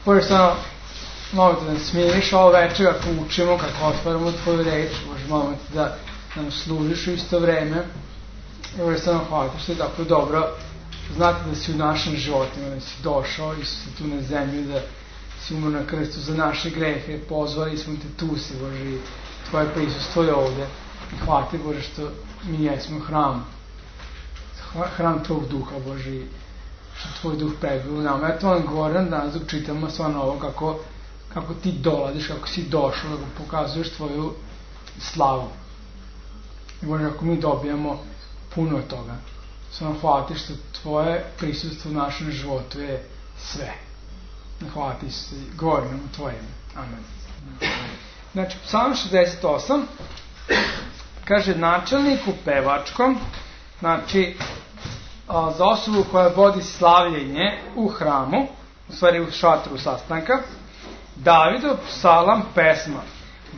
Bože, stvarno, molim te da nas smiriš ovo večer kako učimo, kako otvaramo tvoju reč. Bože, molim te da nam služiš u isto vreme. I Bože, stvarno hvala ti što je tako dobro znati da si u našim životima, da si došao, Isuse, tu na zemlju, da si umro na krstu za naše grehe, pozvali smo te, tu si, Bože, i tvoje prisustvo je ovde. I hvala ti, Bože, što mi jesmo hram tvog duha, Bože, i što tvoj duh prebiva u nama. Ja to vam govorim danas dok čitamo stvarno ovo kako ti dolaziš, kako si došao, kako pokazuješ tvoju slavu. I Bože, kako mi dobijamo puno toga. Stvarno hvala ti što tvoje prisustvo u našem životu je sve. Hvala ti što govorim u tvoje ime. Amen. Znači, Psalam 68 kaže načelniku pevačkom, znači za osobu koja vodi slavljenje u hramu, u stvari u šatru sastanka, Davidov psalam pesma.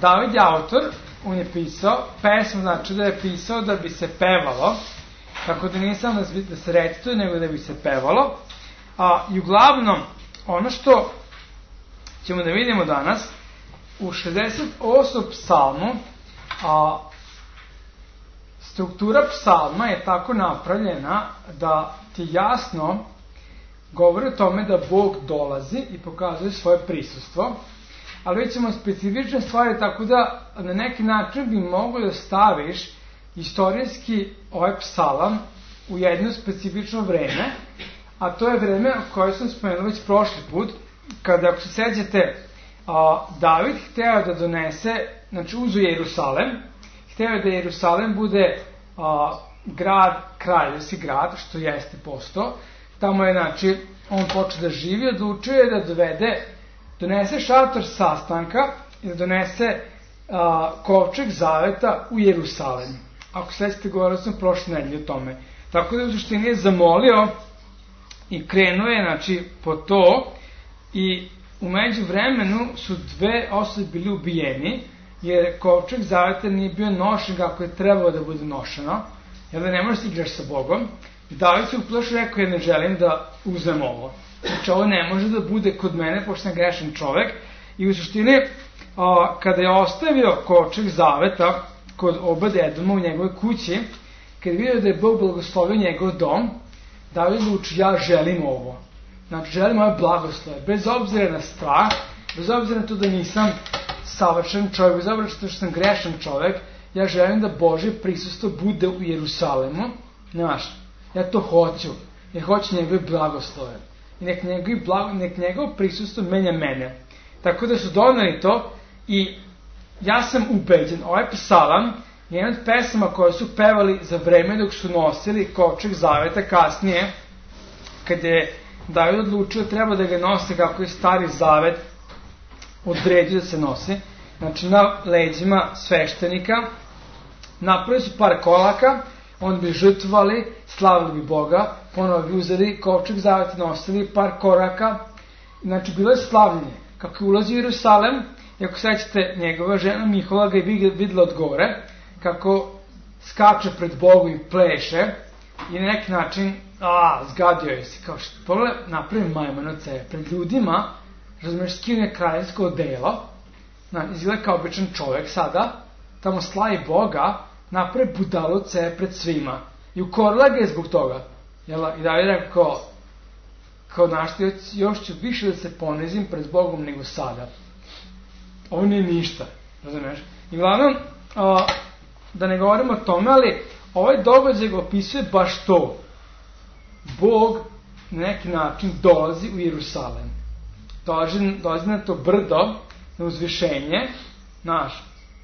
David je autor, on je pisao, pesma znači da je pisao da bi se pevalo, tako da nije samo da se recituje, nego da bi se pevalo. I uglavnom, ono što ćemo da vidimo danas, u 68. psalmu, struktura psalma je tako napravljena da ti jasno govori o tome da Bog dolazi i pokazuje svoje prisustvo, ali već ćemo specifične stvari, tako da na neki način bi moglo da staviš istorijski ovaj psalam u jedno specifično vreme, a to je vreme koje sam spomenuo već prošli put, kada, ako se sećate, David hteo da donese, znači uzu Jerusalem, hteo da Jerusalem bude grad, kraljevski grad, što jeste posto. Tamo je, znači, on počeo da živi, odlučio je da donese šator sastanka i da donese kovčeg zaveta u Jerusalem. Ako sećate, govorio sam prošle nedelje o tome. Tako da u suštini je zamolio i krenuo je, znači, po to, i u međuvremenu su dve osobe bili ubijeni, jer kovčeg zaveta nije bio nošen kako je trebalo da bude nošeno, jer da ne možeš da igraš sa Bogom. I David se uplašio, rekao, ja ne želim da uzem ovo. Znači, ovo ne može da bude kod mene, pošto sam grešan čovek. I u suštini, kada je ostavio kovčeg zaveta kod Obed-Edoma u njegove kući, kad je vidio da je Bog blagoslovio njegov dom, David odluči, ja želim ovo. Znači, želim ove blagoslove, bez obzira na strah, bez obzira na to da nisam savršen čovjek, bez obzira što sam grešan čovjek, ja želim da Božje prisustvo bude u Jerusalemu, znaš, ja to hoću, jer hoću njegove blagoslove. I nek njegovo prisustvo menja mene. Tako da su doneli to i ja sam ubeđen, ovaj psalam je jedan od pesama koje su pevali za vreme dok su nosili kovčeg zaveta kasnije, kad je David odlučio treba da ga nose kako je stari zavet odredio da se nosi. Znači na leđima sveštenika napravili su par kolaka, onda bi žrtvovali, slavili bi Boga, ponovo bi uzeli kovčeg zaveta, nosili par koraka. Znači bilo je slavljenje. Kako je ulazio u Jerusalem, i ako sećate, njegova žena Mihola ga je videla od gore, kako skače pred Bogom i pleše, i na neki način zgadio je se, kao što pogledaj, napravim majman od sebe pred ljudima, razumiješ, skine kraljevsko odelo, izgleda kao običan čovek sada, tamo slavi Boga, napravi budalu od sebe pred svima i ukorila ga je zbog toga. I David rekao, kao našti, još ću više da se ponizim pred Bogom nego sada. Ovo nije ništa, razumiješ? I glavnom, da ne govorimo o tome, ali ovaj događaj ga opisuje baš to. Bog na neki način dolazi u Jerusalem. Dolazi na to brdo, na uzvišenje,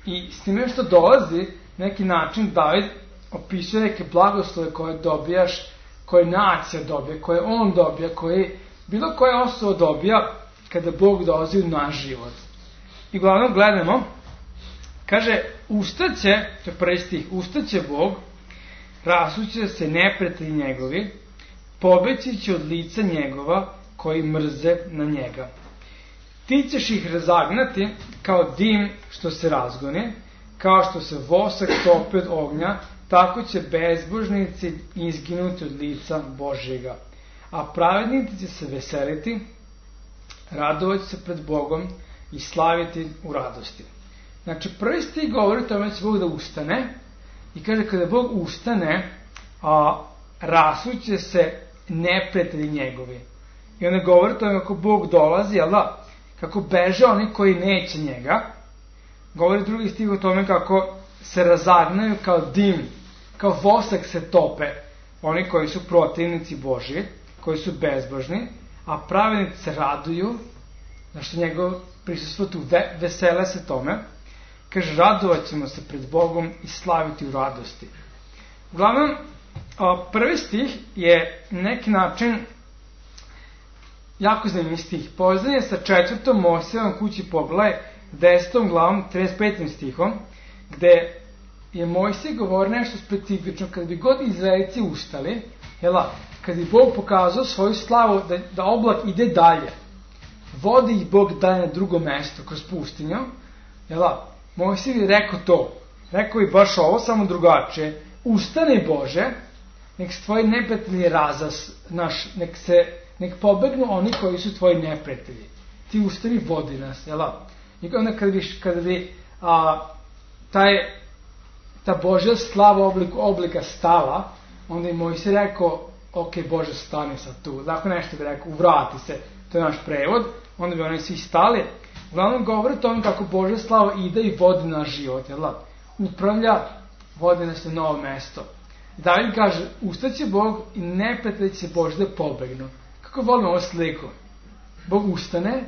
i s time što dolazi, na neki način David opisuje neke blagoslove koje dobijaš, koje nacija dobija, koje on dobija, koje bilo koja osoba dobija kada Bog dolazi u naš život. I uglavnom gledamo, kaže, ustaće, to je prvi stih, ustaće Bog, rasuće se neprijatelji njegovi, pobeći će od lica njegova koji mrze na njega. Ti ćeš ih razagnati kao dim što se razgoni, kao što se vosak topi od ognja, tako će bezbožnici izginuti od lica Božjega. A pravednici će se veseliti, radovati se pred Bogom i slaviti u radosti. Znači, prvi stih govori o tome da će Bog da ustane i kaže kada Bog ustane, rasuće se neprijatelji njegovi. I onda govori o tome kako Bog dolazi, kako beže oni koji neće njega. Govori drugi stih o tome kako se razagnaju kao dim, kao vosak se tope oni koji su protivnici Božji, koji su bezbožni, a pravednici se raduju, zašto njegov prisustvo tu, vesele se tome. Kaže, radovat ćemo se pred Bogom i slaviti u radosti. Uglavnom, prvi stih je neki način jako zanimljiv stih. Povezan je sa 4. Mojsijevom kući poglavlje 10. glavom 35. stihom, gde je Mojsije govori nešto specifično. Kad bi god Izraelci ustali, kad bi Bog pokazao svoju slavu da oblak ide dalje, vodi ih Bog dalje na drugo mesto kroz pustinju, Mojsije bi rekao to, rekao bi baš ovo, samo drugačije: ustani Bože, nek se tvoji neprijatelji nek pobegnu oni koji su tvoji neprijatelji. Ti ustani, vodi nas, I onda kada bi ta Božja slava oblika stala, onda je Mojsije rekao, ok, Bože, stani sad tu. Tako nešto bi rekao, uvrati se, to je naš prevod, onda bi oni svi stali. Uglavnom govori o tome kako Božja slava ide i vodi naš život, upravlja, vodi nas na novo mesto. David kaže, ustaće Bog i neprijatelji će Bože da pobegnu. Kako volim ovu sliku? Bog ustane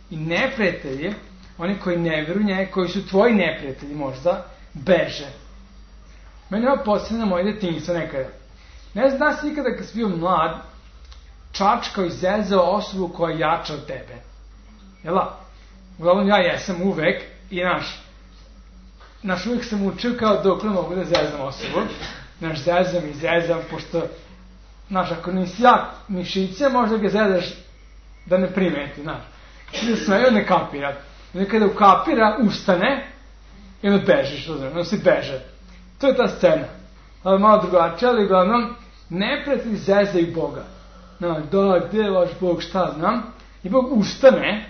i neprijatelji, oni koji ne vjeruju njega, koji su tvoji neprijatelji možda, beže. Meni ovo podsjeća na moje detinjstvo nekada. Ne znam da si nikada kad si bio mlad, čačkao i zezao osobu koja je jača od tebe. Uglavnom ja jesam uvek i uvek sam učio kao dokle mogu da zezam osobu. Zezam i zezam, pošto ako nisi jak mišiće, možda ga zezaš da ne primeti, Kada smeju, ne kapira. I kada ukapira, ustane i onda bežiš, onda si beže. To je ta scena. Malo drugačije, ali uglavnom, neprijatelji zezaju Boga. Gde je vaš Bog, šta znam? I Bog ustane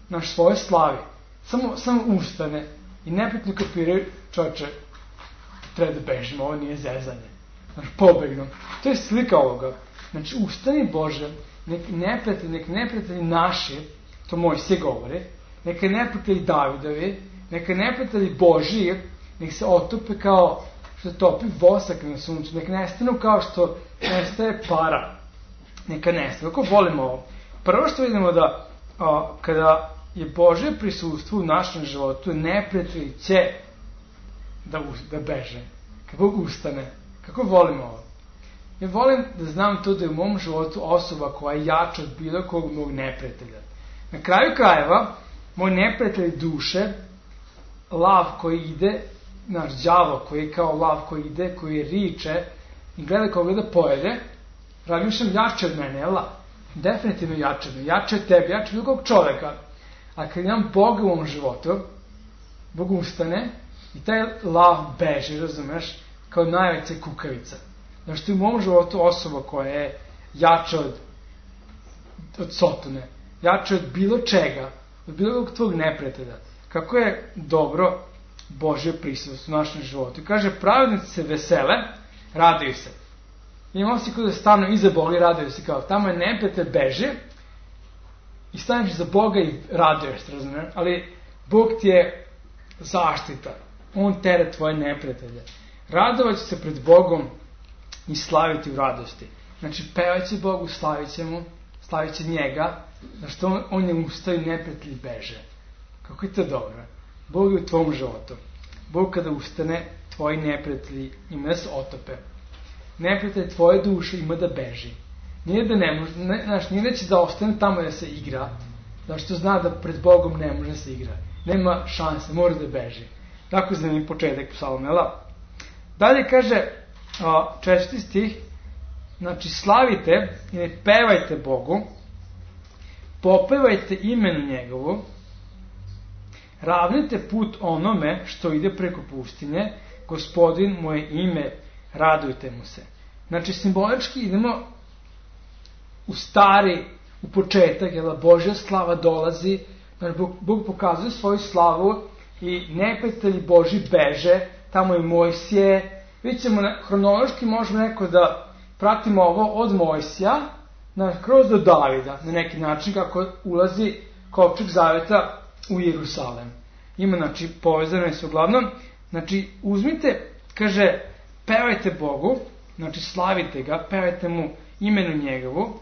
na svoje slavi. Samo ustane. I neprijatelji kapiraju, čovječe, treba da bežimo, ovo nije zezanje. Pobegnu. To je slika ovoga. Ustani Bože, nek neprijatelji naši, to Mojsije govori, neka neprijatelji Davidovi, neka neprijatelji Božji, nek se otope kao što topi vosak na suncu, nek nestanu kao što nestaje para. Neka nestanu. Kako volimo ovo? Prvo što vidimo da kada je Božje prisustvo u našem životu, neprijatelji će da beže. Kad Bog ustane. Kako volimo ovo? Ja volim da znam to da je u mom životu osoba koja je jača od bilo kog mog neprijatelja. Na kraju krajeva, moj neprijatelj duše, lav koji ide, naš đavo koji je kao lav koji ide, koji riče i gleda koga da pojede, razmišljam jače od mene, definitivno jače od mene, jače od tebe, jače od bilo kog čoveka. A kad imam Boga u mom životu, Bog ustane i taj lav beže, razumeš, kao najveća kukavica. Znači, to je u mom životu osoba koja je jača od Sotone, jača od bilo čega, od bilo tvojeg neprijatelja. Kako je dobro Božje prisustvo u našem životu. I kaže, pravednici se vesele, raduju se. Imamo si kada stanu iza Boga i raduju se, kao tamo je neprijatelj beže i staneš iza Boga i raduješ se, razumiješ? Ali Bog ti je zaštita. On tere tvoje neprijatelje. Radovat će se pred Bogom i slaviti u radosti. Znači, pevat će Bogu, slavit će njega, zašto on je ustao i neprijatelji beže. Kako je to dobro? Bog je u tvom životu. Bog kada ustane, tvoji neprijatelji ima da se otope. Neprijatelj tvoje duše ima da beži. Nije da ne može, nije da će da ostane tamo da se igra, zašto zna da pred Bogom ne može da se igra. Nema šanse, mora da beži. Tako zanimljiv početak psalma. Dalje kaže, 4. stih, znači slavite i ne pevajte Bogu, popevajte imenu njegovu, ravnite put onome što ide preko pustinje, Gospodin moje ime, radujte mu se. Znači simbolički idemo u stari u početak, jel, Božja slava dolazi, znači Bog pokazuje svoju slavu i neprijatelji Božji beže, tamo je Mojsije. Vidjet ćemo, hronološki možemo neko da pratimo ovo od Mojsija, kroz do Davida, na neki način kako ulazi kovčeg zaveta u Jerusalem. Ima, znači, povezano je se uglavnom. Znači, uzmite, kaže, pevajte Bogu, znači, slavite ga, pevajte mu imenu njegovu,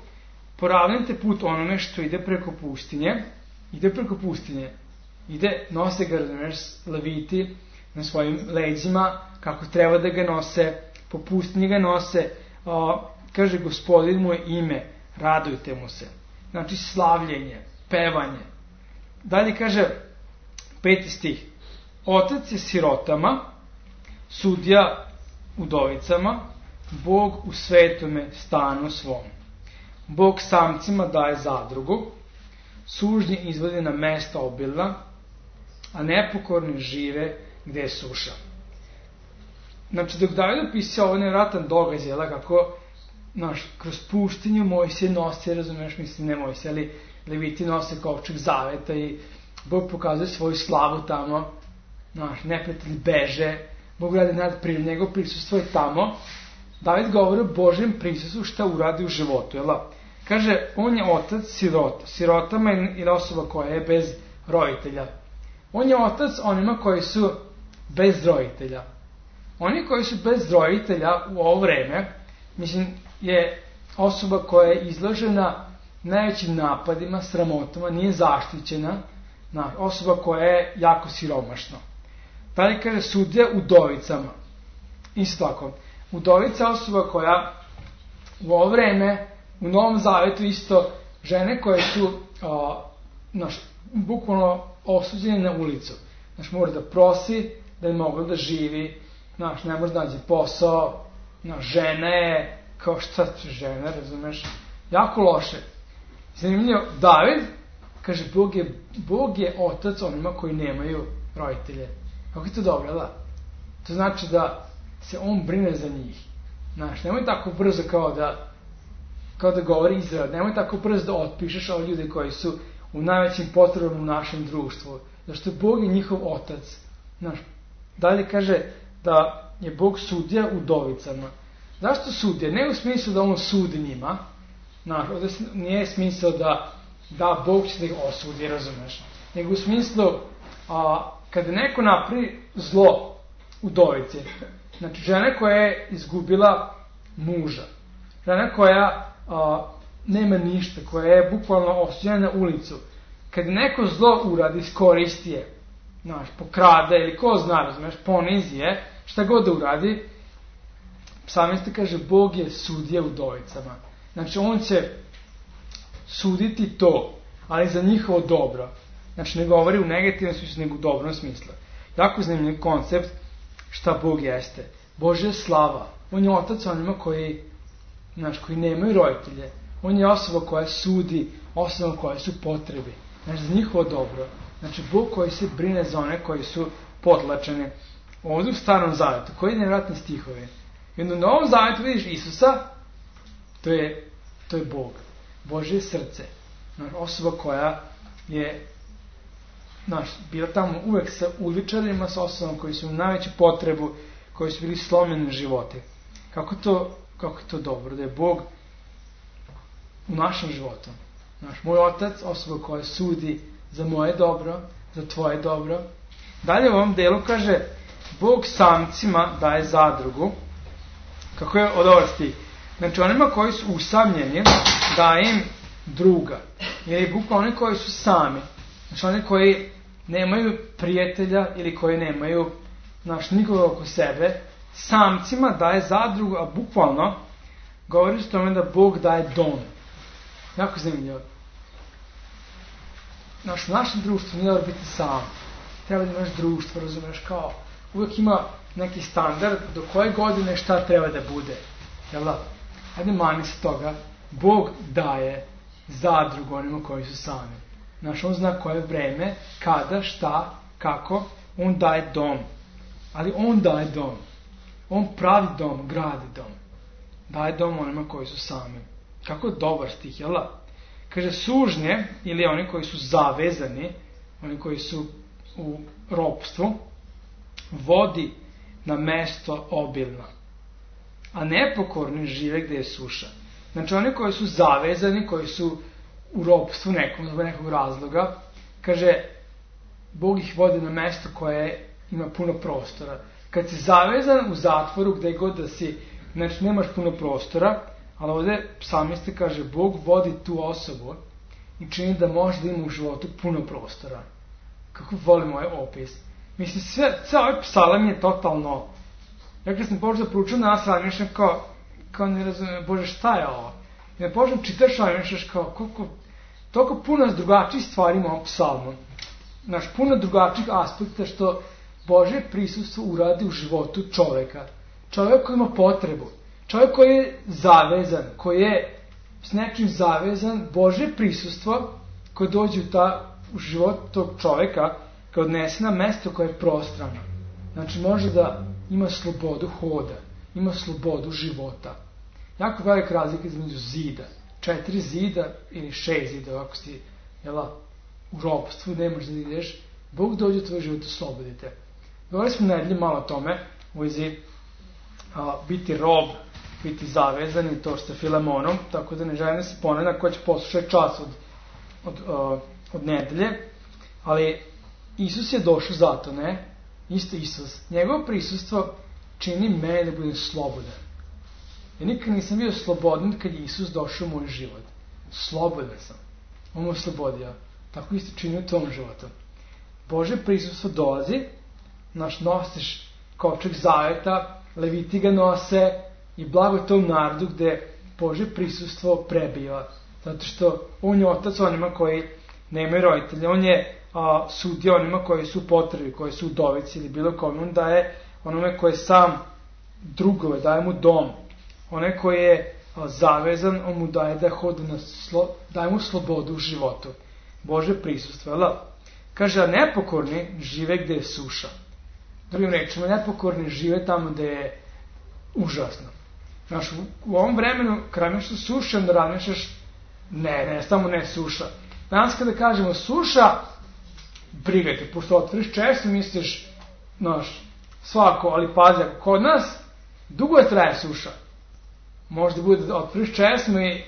poravnajte put onome što ide preko pustinje, nose ga, razumiješ, leviti na svojim leđima, kako treba da ga nose, po pustinji ga nose, kaže, Gospodin mu je ime, radujte mu se. Znači, slavljenje, pevanje. Dalje kaže, 5. stih, Otac je sirotama, sudija udovicama, Bog u svetome stanu svom. Bog samcima daje zadrugu, sužnji izvodi na mesta obilna, a nepokorni žive gde je suša. Znači, dok David opisao ovo nevjerojatan događaj, kako kroz pustinju Mojsije nosi, razumiješ, mislim, ne Mojsije, ali leviti nose kovčeg zaveta i Bog pokazuje svoju slavu tamo, neprijatelji beže, Bog radi nadprirodno, njegov prisustvo je tamo. David govori o Božjem prisustvu šta uradi u životu, jel? Kaže, on je otac sirota. Sirotama ili osoba koja je bez roditelja. On je otac onima koji su bez roditelja. Oni koji su bez roditelja u ovo vreme, mislim, je osoba koja je izložena najvećim napadima, sramotama, nije zaštićena, osoba koja je jako siromašna. Dalje kaže, sudija udovicama. Isto tako, udovica osoba koja u ovo vreme, u Novom Zavetu isto, žene koje su bukvalno osuđene na ulicu. Mora da prosi, da je mogla da živi, ne može da nađe posao, žena je, kao šta će žena, razumeš, jako loše. Zanimljivo, David, kaže, Bog je otac onima koji nemaju roditelje. Kako je to dobro, da? To znači da se on brine za njih. Nemoj tako brzo kao da govori Izrael, nemoj tako brzo da otpišeš ove ljude koji su u najvećim potrebama u našem društvu. Zašto Bog je njihov otac. Dalje kaže da je Bog sudija udovicama. Zašto sudija? Ne u smislu da on sudi njima. Ovdje nije smisao da Bog će da ih osudi, razumeš. Nego u smislu kada neko napravi zlo udovici, znači žena koja je izgubila muža, žena koja nema ništa, koja je bukvalno osuđena na ulicu, kada neko zlo uradi, iskoristi je, pokrade ili ko zna, razumeš, ponizi je, šta god da uradi, psalmista kaže, Bog je sudija udovicama. Znači, on će suditi to, ali za njihovo dobro. Znači, ne govori u negativnom smislu, nego u dobrom smislu. Jako zanimljiv koncept šta Bog jeste. Božja slava. On je otac onima koji nemaju roditelje. On je osoba koja sudi, osoba koja su potrebi. Znači, za njihovo dobro. Znači, Bog koji se brine za one koji su potlačeni. Ovdje u Starom Zavetu, koji je nevjerojatni stihovi. I onda u Novom Zavetu vidiš Isusa, to je Bog. Božje srce. Osoba koja je bila tamo uvek sa uličarima, sa osobama koji su u najveću potrebu, koji su bili slomljeni životi. Kako je to dobro, da je Bog u našem životu. Moj otac, osoba koja sudi za moje dobro, za tvoje dobro. Dalje u ovom delu kaže, Bog samcima daje zadrugu. Kako je od ovaj stih? Znači, onima koji su usamljeni, daje im druga. Ili bukvalno oni koji su sami. Znači, oni koji nemaju prijatelja ili koji nemaju nikoga oko sebe, samcima daje zadrugu, a bukvalno govori o tome da Bog daje dom. Jako zanimljivo. U našem društvu nije da biti sam. Treba da imaš društvo, razumeš, kao uvijek ima neki standard do koje godine šta treba da bude. Jel da? Hajde mani se toga. Bog daje zadrugu onima koji su sami. On zna koje vreme, kada, šta, kako. On daje dom. Ali on daje dom. On pravi dom, gradi dom. Daje dom onima koji su sami. Kako je dobar stih, jel da? Kaže, sužnje, ili oni koji su zavezani, oni koji su u ropstvu, vodi na mesto obilno, a nepokorni žive gde je suša. Znači, oni koji su zavezani, koji su u ropstvu nekog razloga, kaže, Bog ih vodi na mesto koje ima puno prostora. Kad si zavezan u zatvoru, gde god da si, znači nemaš puno prostora, ali ovde psalmista kaže, Bog vodi tu osobu i čini da može da ima u životu puno prostora. Kako volim ovaj opis. Mislim, sve ovaj psalam je totalno... Ja kad sam počeo da proučam nas, razmišljam kao ne razumijem, Bože, šta je ovo? I da počnem čitaš, razmišljaš kao, toliko puno drugačijih stvari ima ovom psalmu. Znaš, puno drugačijih aspekta što Božje prisustvo uradi u životu čoveka. Čovek koji ima potrebu. Čovek koji je zavezan, koji je s nečim zavezan, Božje prisustvo koje dođe u život tog čoveka, kao odnese na mesto koje je prostrano. Znači, može da ima slobodu hoda, ima slobodu života. Jako velika razlika između zida. 4 zida ili 6 zida, ako si u ropstvu, ne možeš da ideš, Bog dođe u tvoj život i oslobodite. Govorili smo nedelje malo o tome, u vezi biti rob, biti zavezan i to što je Filemonom, tako da ne želim da se ponavljam ko će poslušati čas od nedelje, ali Isus je došao zato, ne? Isto Isus. Njegovo prisustvo čini mene da budem slobodan. Ja nikad nisam bio slobodan kad je Isus došao u moj život. Slobodan sam. On me oslobodio. Tako isto čini u tvom životu. Božje prisustvo dolazi, nosiš kovčeg zaveta, leviti ga nose i blago tom narodu gde Božje prisustvo prebiva. Zato što on je otac onima koji nemaju roditelja. On je sudio onima koji su u potrebi, koji su udovici ili bilo kome. On daje onome koji je sam drugove, daje mu dom. Onaj koji je zavezan, on mu daje da hodi daje mu slobodu u životu. Božje prisustvo, jel? Kaže, a nepokorni žive gde je suša. Drugim rečima, nepokorni žive tamo gde je užasno. Znaš, u ovom vremenu, kada nešto suša, da razmišljaš, ne, samo ne suša. Danas kada kažemo suša, brigajte, pošto otvoriš često, misliš, svako, ali pazi, ako kod nas, dugo je traje suša. Možda bude da otvoriš česmu i,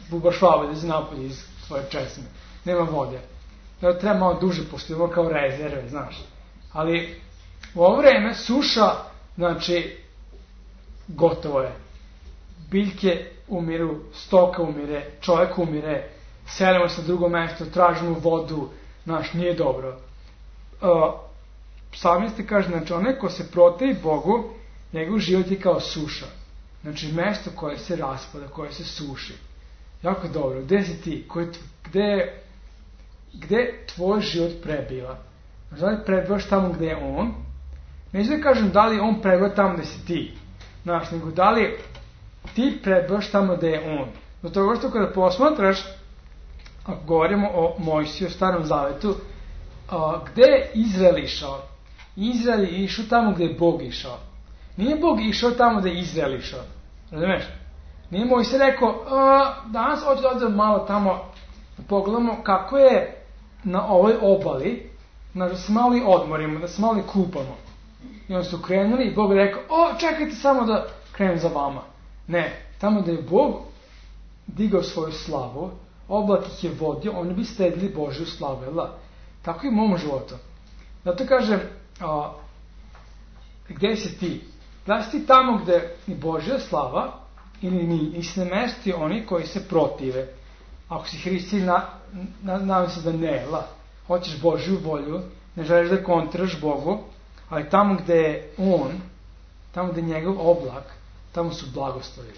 bubaš vode iz napolje iz tvoje česme. Nema vode. Treba malo duže, pošto imamo kao rezerve, znaš. Ali u ovo vreme suša, znači, gotovo je. Biljke umiru, stoka umire, čovjek umire, selimo se na drugo mesto, tražimo vodu, nije dobro. Psalmista kaže, znači, onaj ko se protivi Bogu, njegov život je kao suša. Znači, mesto koje se raspada, koje se suši. Jako dobro. Gde si ti? Gde tvoj život prebiva? Znači, da li prebivaš tamo gde je on? Neću da kažem da li on prebiva tamo gde si ti. Znaš, nego da li ti prebivaš tamo gde je on. Do toga što kada posmatraš, ako govorimo o Mojsiju, o Starom Zavetu, gde je Izrael išao? Izrael je išao tamo gde je Bog išao. Nije Bog išao tamo gde je Izrael išao. Razumeš? Nije Mojsije rekao, danas hoću malo tamo da pogledamo kako je na ovoj obali, da se malo i odmorimo, da se malo i kupamo. I oni su krenuli i Bog je rekao, čekajte samo da krenem za vama. Ne, tamo da je Bog digao svoju slavu, oblak ih je vodio, oni bi stedili Božju slavu, jel da? Tako i u mom životu. Zato kažem, gde si ti? Da si ti tamo gde ni Božja slava, ili ni se ne mesti oni koji se protive. Ako si hristijan, nadam se da ne, jel da? Hoćeš Božju volju, ne želiš da kontraš Bogu, ali tamo gde je on, tamo gde je njegov oblak, tamo su blagoslovi.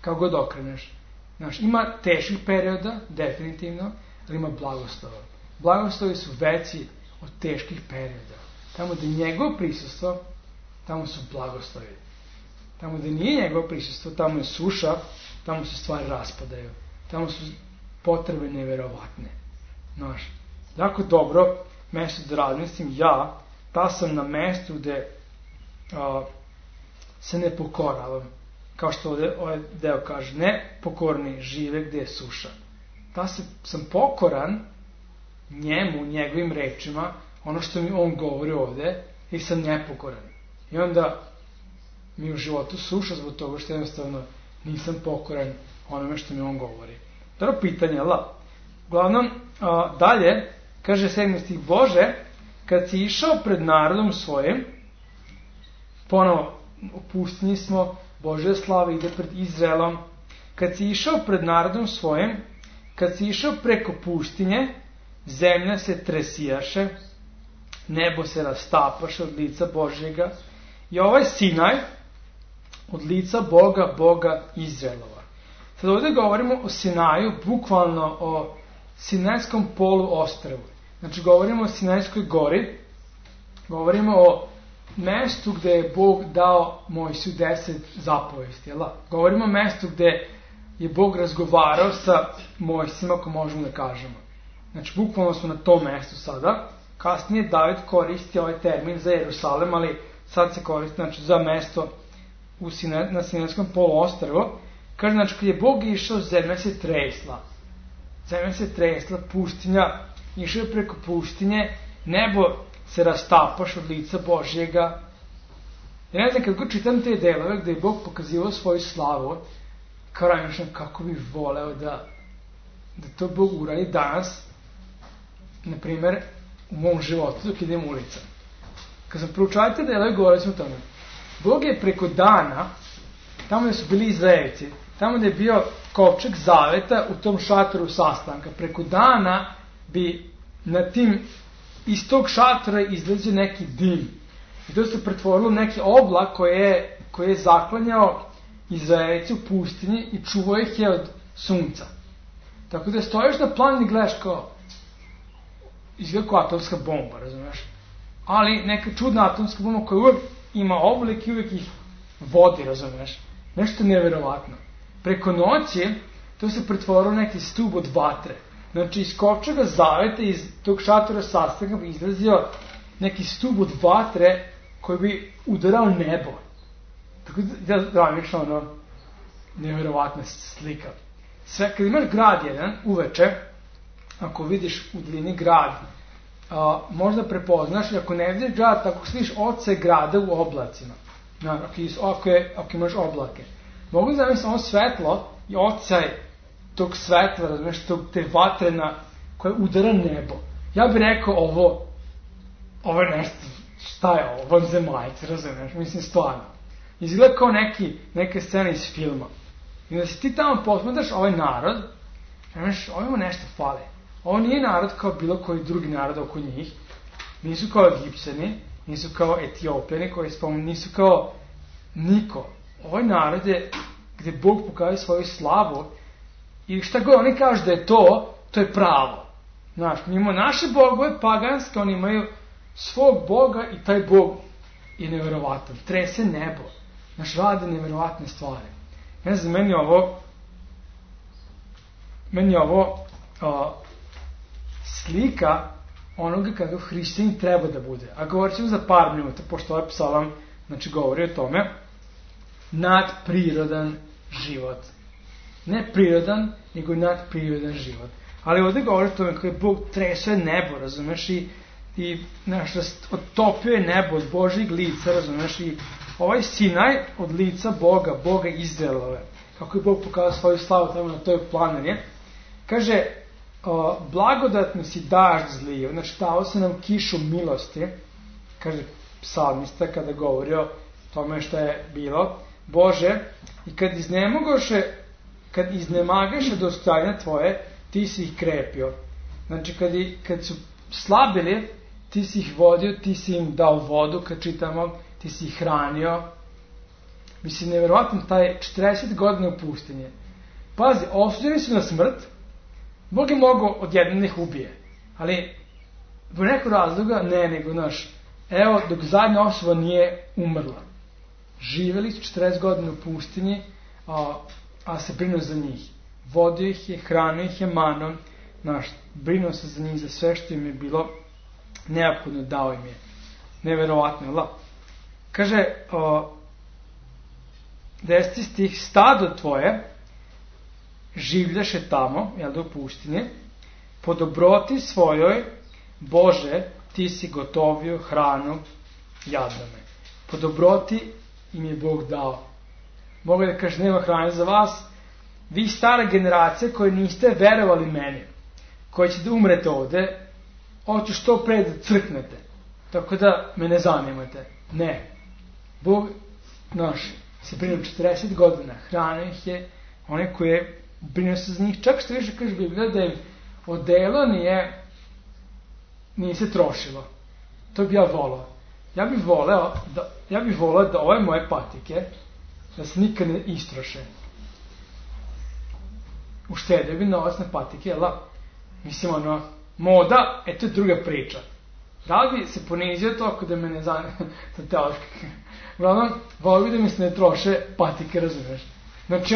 Kao god okreneš. Znaš, ima teških perioda, definitivno, ali ima blagoslova. Blagoslovi su veći od teških perioda. Tamo gde je njegov prisustvo, tamo su blagoslovi. Tamo gde nije njegov prisustvo, tamo je suša, tamo se stvari raspadaju. Tamo su potrebe neverovatne. Znaš, jako dobro mesto da razmislim, ta sam na mestu gde se ne pokoravam. Kao što ovaj deo kaže, ne pokorni žive gde je suša. da sam pokoran njemu, njegovim rečima, ono što mi on govori ovde, i sam nepokoran. I onda mi u životu suša zbog toga što jednostavno nisam pokoran onome što mi on govori. Dobro pitanje, la? Uglavnom, dalje, kaže 7. stih, Bože, kad si išao pred narodom svojim, ponovo, u pustinji smo, Božja slava ide pred Izraelom, kad si išao pred narodom svojim, kad si išao preko pustinje, zemlja se tresijaše, nebo se rastapaše od lica Božjega, i ovaj Sinaj od lica Boga Izraelova. Sad ovdje govorimo o Sinaju, bukvalno o Sinajskom poluostrvu. Znači govorimo o Sinajskoj gori, govorimo o mestu gde je Bog dao Mojsiju 10 zapovesti. Govorimo o mestu gde je Bog razgovarao sa Mojsijima, ako možemo da kažemo. Znači bukvalno smo na tom mestu sada. Kasnije David koristi ovaj termin za Jerusalem, ali sad se koristi znači, za mesto na Sinajskom poluostrvu. Kaže, znači, kad je Bog išao, zemlja se tresla. Zemlja se tresla, pustinja, išao je preko pustinje, nebo se rastapaš od lica Božjega. Ja ne znam, kad god čitam te delove gde je Bog pokazivao svoju slavu, kao razmišljam kako bih voleo da to Bog uradi danas, na primer, u mom životu, dok idem ulicom. Kad sam proučavao te delove, govorili smo o tome. Bog je preko dana, tamo gde su bili Izraelci, tamo gde je bio kovčeg zaveta u tom šatoru sastanka, preko dana bi na tim iz tog šatora izlazio neki dim. I to se pretvorilo u neki oblak koji je zaklanjao Izraelci u pustinji i čuvao ih je od sunca. Tako da stojiš na planini i gledaš kao izgleda kao atomska bomba, razumeš? Ali neka čudna atomska bomba koja uvijek ima oblik i uvijek ih vodi, razumeš? Nešto neverovatno. Preko noći to se pretvorilo neki stub od vatre. Znači iz kovčega zaveta, iz tog šatora sastanka bi izlazio neki stub od vatre koji bi udarao nebo. Tako da zamišljam ono neverovatna slika. Sve, kad imaš grad jedan, uveče, ako vidiš u dalini grad, možda prepoznaš, i ako ne vidiš grad, ako sliš oce grada u oblacima. Ako imaš oblake. Mogu zamisliti ono svetlo i ocaj tog svetla, razumiješ, te vatrena koja udara nebo. Ja bih rekao ovo je nešto, šta je ovo, vanzemaljci, razumiješ, mislim stvarno. Izgleda kao neke scene iz filma. I da si ti tamo posmatraš ovaj narod, razumiješ, ovima nešto fale. Ovo nije narod kao bilo koji drugi narod oko njih. Nisu kao Egipćani, nisu kao Etiopljani koji spomenu, nisu kao niko. Ovaj narod je gde Bog pokazuje svoju slavu i šta god oni kažu da je to je pravo. Znaš, mi imamo naše bogove paganske, oni imaju svog Boga i taj Bog je neverovatan. Trese nebo. Znaš, rade neverovatne stvari. Ne znam, meni je ovo slika onoga kakav hrišćanin treba da bude. A govorit ćemo za par minuta, pošto ovaj psalam znači, govori o tome. Nadprirodan život. Ne prirodan, nego nadprirodan život. Ali ovdje govori o tome kako Bog tresuje nebo, razumeš, i otopio je nebo od Božjeg lica, razumeš, i ovaj Sinaj od lica Boga Izraelove. Kako je Bog pokazao svoju slavu tamo na toj planini. Kaže, blagodatno si dažd zlio, znači dao se nam kišu milosti, kaže psalmista kada govori o tome što je bilo, Bože, i kad iznemagaše dostojanja tvoje, ti si ih krepio. Znači kad su slabili, ti si ih vodio, ti si im dao vodu, kad čitamo, ti si ih hranio. Mislim, nevjerovatno, taj 40 godina u pustinji. Pazi, osuđeni su na smrt, Bog je mogao odjednom ih ubije. Ali, po nekog razloga, nego evo, dok zadnja osoba nije umrla. Živjeli su 40 godina u pustinji, a se brinuo za njih. Vodio ih je, hranio ih je manom, brinuo se za njih, za sve što im je bilo neophodno, dao im je. Neverovatno, Kaže, 10. stih, stado tvoje življaše tamo, u pustinji, po dobroti svojoj, Bože, ti si gotovio hranu jadnome. Po dobroti im je Bog dao. Mogu da kaže, nema hrane za vas, vi stara generacija koji niste verovali meni, koji će da umrete ovde, hoću što pre da crknete, tako da me ne zanimate. Ne. Bog naš se brinuo 40 godina, hranio ih je, one koje brinuo se za njih, čak što više kaže Biblija da im odelo nije se trošilo. To bi ja volao. Ja bih volao da ove moje patike da se nikad ne istroše. Uštedio bi novac na patike, mislim, moda, to je druga priča. Da li bi se ponizio to ako da me ne zanima sa teološke? Uglavnom, volio bi da mi se ne troše patike, razumeš? Znači,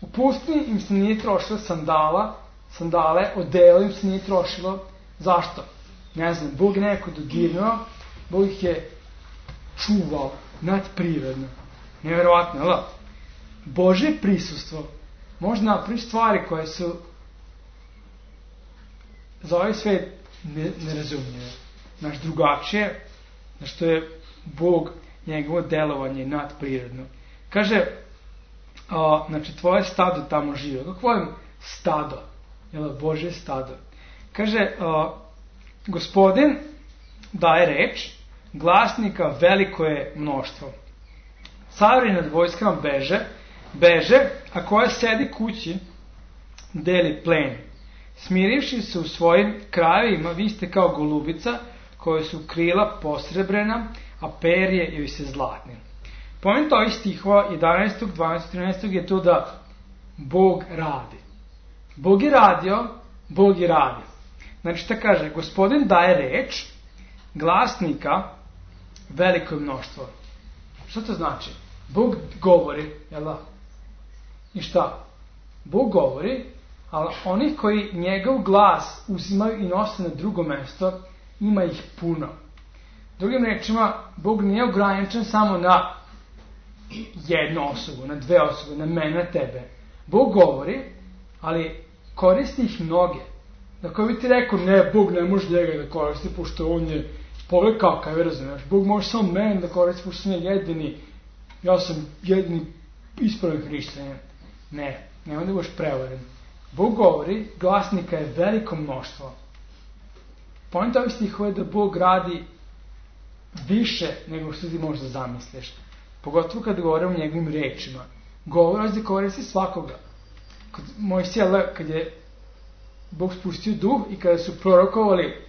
u pustinji im se nije trošilo sandale, odelo im se nije trošilo. Zašto? Ne znam, Bog je neko dodirnuo, Bog ih je čuvao nadprirodno. Neverovatno, Božje prisustvo može napraviti stvari koje su za ovaj svet nerazumljive. Znaš, drugačije, što je Bog, njegovo delovanje nadprirodno. Kaže, znači, tvoje stado tamo žive. Kako volim stado? Božje stado. Kaže, Gospodin daje reč, glasnika veliko je mnoštvo. Carevi nad vojskama beže, a koja sedi kući deli plen. Smirivši se u svojim krajevima, vi ste kao golubica koje su krila posrebrena, a perje joj se zlatne. Poment ovih stihova 11., 12., 13. je to da Bog radi. Bog je radio, Bog je radio. Znači, šta kaže? Gospodin daje reč, glasnika veliko je mnoštvo. Šta to znači? Bog govori, I šta? Bog govori, ali oni koji njegov glas uzimaju i nose na drugo mesto, ima ih puno. Drugim rečima, Bog nije ograničen samo na jednu osobu, na dve osobe, na mene, na tebe. Bog govori, ali koristi ih mnoge. Dakle, bi ti rekao, ne, Bog ne može njega da koristi, pošto on je pogled kakav, razumiješ. Bog može samo mene da koristi, pošto sam ja sam jedini ispravan hrišćanin. Ne, nema da budeš prevaren. Bog govori, glasnika je veliko mnoštvo. Poenta ovih stihova je da Bog radi više nego što ti možeš da zamisliš. Pogotovo kad govore o njegovim rečima. Govor da koristi svakoga. Kod Mojsija, kad je Bog spustio duh i kada su prorokovali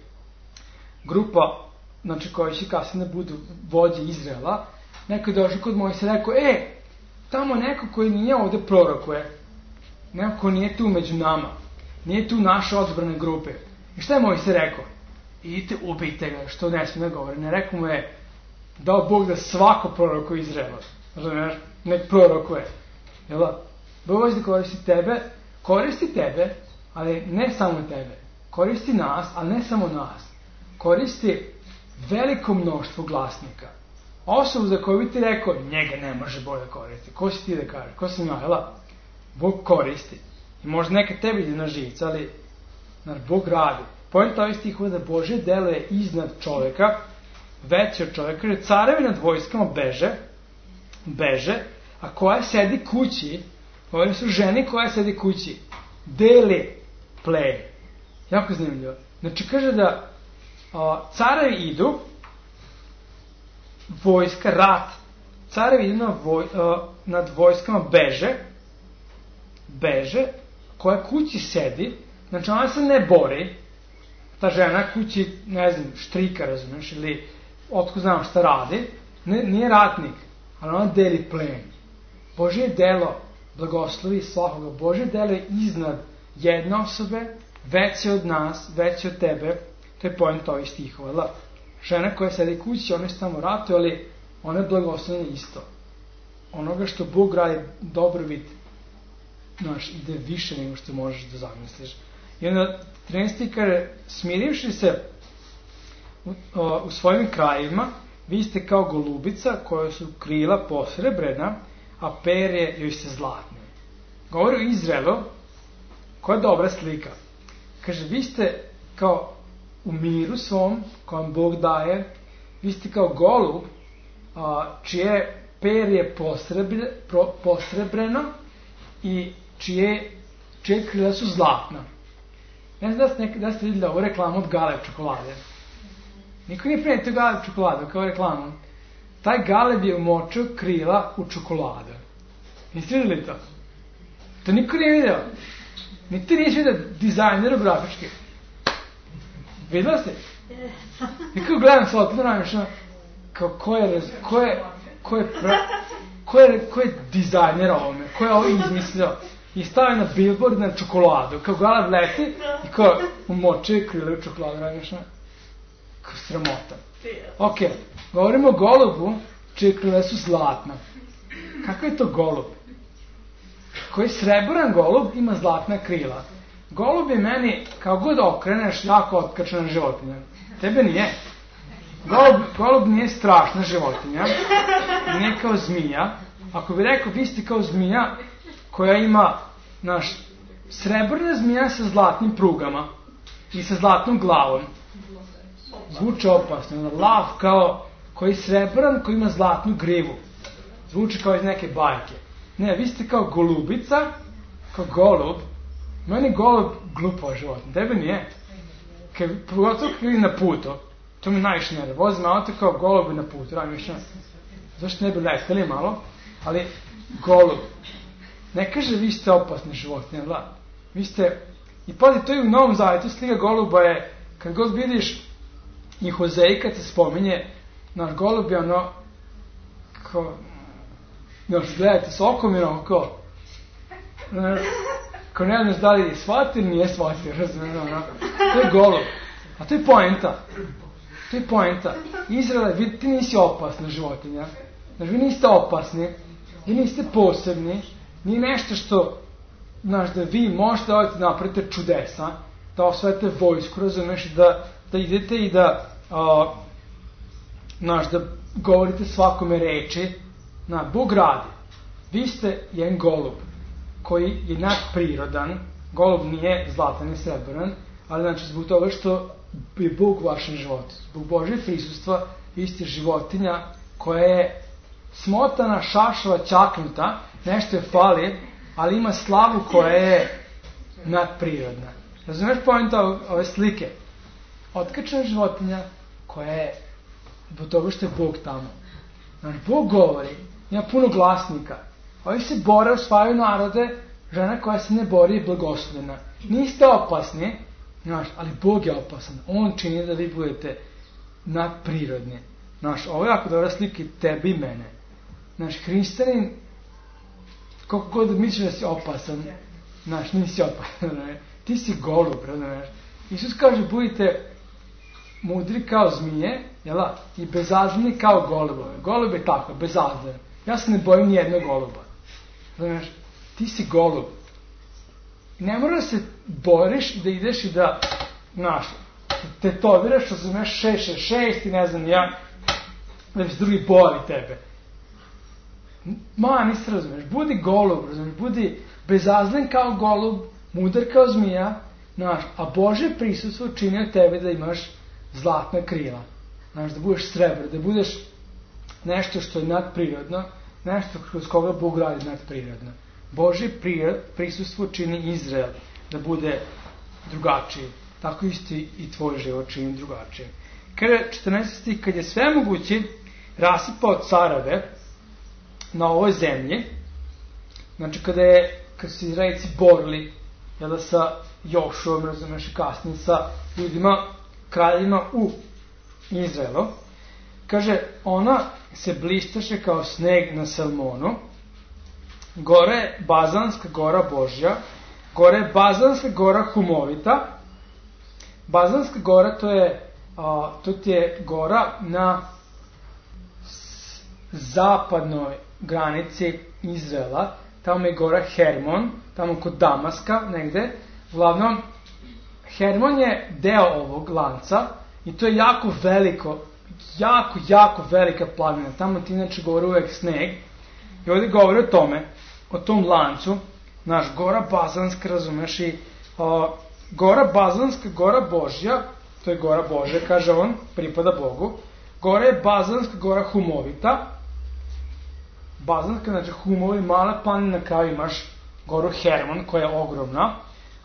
grupa, znači koji će kasnije budu vođe Izraela, neko je došao kod Mojsija i rekao, tamo neko koji nije ovde prorokuje, neko ko nije tu među nama, nije tu naše odbrane grupe. I šta je Mojsija rekao? Idite, ubijte ga, što ne smije da govori. Ne rekao mu je, dao Bog da svako prorokuje Izraela. Razumiješ? Nek prorokuje. Bog hoće da koristi tebe, ali ne samo tebe. Koristi nas, ali ne samo nas. Koristi veliko mnoštvo glasnika. Osobu za koju bi ti rekao, njega ne može Bog da koristi. Ko si ti da kaže? Ko si ja? Bog koristi. I možda neka tebi ide na živce, ali Bog radi. Poenta ovih stihova da Božje delo je iznad čoveka, veće od čoveka, jer carevi nad vojskama beže, a koja sedi kući, ovo su žene koja sedi kući, deli plen. Jako zanimljivo. Znači kaže da carevi idu, vojska, rat, carevi idu nad vojskama beže, koja kući sedi, znači ona se ne bori, ta žena kući, ne znam, štrika, razumiješ, ili otko znam šta radi, nije ratnik, ali ona deli plen. Božje delo blagoslovi svakoga. Božje delo je iznad jedne osobe, veće od nas, veće od tebe. To je point ovih stihova. Žena koja sedi kući, ona se tamo ratuje, ali ona je blagoslovena isto. Onoga što Bog radi dobrobit, ide više nego što možeš da zamisliš. I onda 13. kaže, smirivši se u svojim krajevima, vi ste kao golubica koja su krila posrebrena, a perje joj se zlatne. govori o Izraelu, koja je dobra slika. Kaže, vi ste kao u miru svom, koji vam Bog daje, vi ste kao golub, čije perje posrebreno i čije krila su zlatna. Ne znam da ste vidjeli ovu reklamu od Galeb čokolade. Niko nije prenio Galeb čokoladu kao reklamu. Taj Galeb je umočio krila u čokoladu. Niste vidjeli to? To niko nije vidio. Ni ti nisi vidio dizajneru grafički. Vidjela ste? Nekako gledam se otno namišljeno kao ko je dizajner ovome, ko je ovo izmislio i stavio na billboard na čokoladu, kao Galeb leti i kao umočio krila u čokoladu, namišljeno. Kao sramota. Ok, govorimo o golubu čije krila su zlatna. Kako je to golub? Koji srebrn golub ima zlatna krila. Golub je meni, kao god okreneš, jako otkačena životinja. Tebe nije. Golub nije strašna životinja. Nije kao zmija. Ako bi rekao, vi ste kao zmija koja ima, srebrna zmija sa zlatnim prugama i sa zlatnom glavom. Zvuči opasno. Lav kao koji srebran, koji ima zlatnu grivu. Zvuči kao iz neke bajke. Ne, vi ste kao golubica, kao golub. Meni golub glupo životinja, tebe nije. Pogotovo kad je na putu, to mi najviše ne da. Vozim auto kao golub na putu, zašto ne bi leteli malo, ali golub. Ne kaže vi ste opasni životinje, vi ste, i pazi, to je u Novom Zavjetu, slika goluba je, kad god vidiš i Hozej kad se spominje, naš golub je ono, kao, gledajte s okom i ono, kao ne znaš da li je shvatio ili nije shvatio, razumijeno, to je golub. A to je poenta. To je poenta. Izrael, ti nisi opasna životinja. Znači, vi niste opasni, vi niste posebni, nije nešto što, da vi možete napravite čudesa, da osvete vojsku, razumiješ, da idete i da govorite svakome reči. Bog radi. Vi ste jedan golub koji je nadprirodan. Golub nije zlatan i srebran, ali zbog toga što je Bog u vašem životu. Zbog Božje prisustva vi ste životinja koja je smotana, šašava, ćaknuta, nešto je fali, ali ima slavu koja je nadprirodna. Razumeš poenta ove slike? Otkačena životinja koja je zbog toga što je Bog tamo. Bog govori, ima puno glasnika. Ovi se bore, osvajaju narode, žena koja se ne bori je blagoslovljena. Niste opasni, ali Bog je opasan. On čini da vi budete nadprirodni. Ovo je jako dobra slika tebi i mene. Hrišćanin, koliko god misliš da si opasan, nisi opasan. Ti si golub, razumiješ? Isus kaže, budite mudri kao zmije, i bezazleni kao golubove. Golub je tako, bezazlen. Ja se ne bojim nijednog goluba. Znaš, ti si golub. Ne mora da se boriš i da ideš i da, tetoviraš, razumeš, 666 i ne znam ja, da se drugi boli tebe. Nisi razumeš, budi golub, razumeš, budi bezazlen kao golub, mudar kao zmija, a Božje prisustvo čini od tebe da imaš zlatna krila. Da budeš srebro, da budeš nešto što je nadprirodno, nešto kroz koga Bog radi nadprirodno. Božje prisustvo čini Izrael da bude drugačiji. Tako isti i tvoj život čini drugačiji. Kada 14. stih, kad je svemogući rasipao careve na ovoj zemlji, kad su Izraelci borili sa Jošuom, razumeš, i kasnije sa ljudima, kraljima u Izraelu, kaže, ona se blistaše kao sneg na Salmonu, gore je Bazanska gora Božja, gore je Bazanska gora Humovita. Bazanska gora to ti je gora na zapadnoj granici Izraela, tamo je gora Hermon, tamo kod Damaska negde. Uglavnom, Hermon je deo ovog lanca i to je jako veliko, jako velika planina. Tamo ti inače govori uvek sneg i ovdje govori o tom lancu Naš Gora Bazanska, razumeš, i Gora Bazanska, Gora Božja, to je Gora Božja, kaže on, pripada Bogu. Gora je Bazanska, Gora Humovita. Bazanska, znači Humovi, mala planina, kao imaš Goru Hermon, koja je ogromna,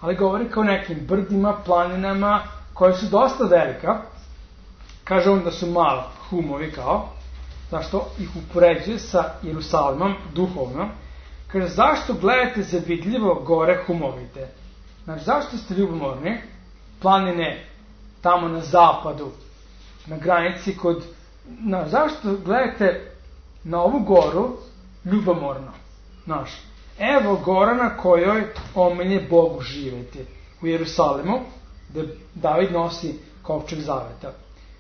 ali govori kao nekim brdima, planinama, koje su dosta velika. Kaže on da su mala Humovi kao, zašto ih upoređuje sa Jerusalimom, duhovno. Kaže, zašto gledate zavidljivo gore Humovite? Znači, zašto ste ljubomorni? Planine tamo na zapadu, na granici kod... zašto gledate na ovu goru ljubomorno? Znaš, evo gora na kojoj omilje Bogu živeti. U Jerusalimu, gde David nosi kovčeg zaveta.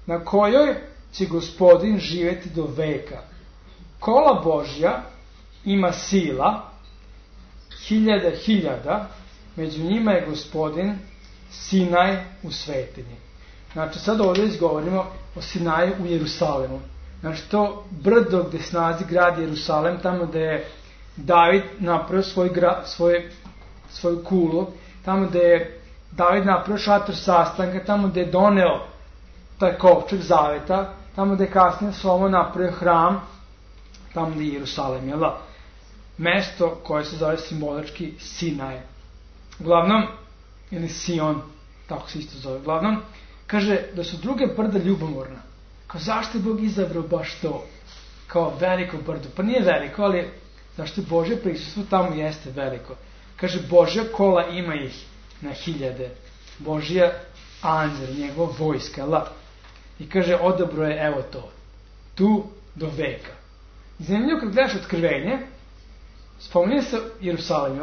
Na kojoj će Gospodin živeti do veka. Kola Božja ima sila, hiljada, među njima je Gospodin Sinaj u svetinji. Znači, sad ovdje izgovorimo o Sinaju u Jerusalimu. Znači, to brdo gde se nalazi grad Jerusalem, tamo gde je David napravio svoju kulu, tamo gde je David napravio šator sastanka, tamo gde je doneo taj kovčeg zaveta, tamo gde je kasnije Solomon napravio hram, tamo gde je Jerusalem, jel da? Mesto koje se zove simbolički Sinaj. Uglavnom, ili Sion, tako se isto zove, uglavnom, kaže da su druge brda ljubomorna. Kao, zašto je Bog izabrao baš to? Kao veliko brdo. Pa nije veliko, ali zašto je Božje prisustvo tamo jeste veliko. Kaže, Božja kola ima ih na hiljade. Božja anđel, njegova vojska, I kaže, odabro je, evo to, tu do veka. Zanimljivo kad gledaš Otkrivenje, spominje se Jerusalim,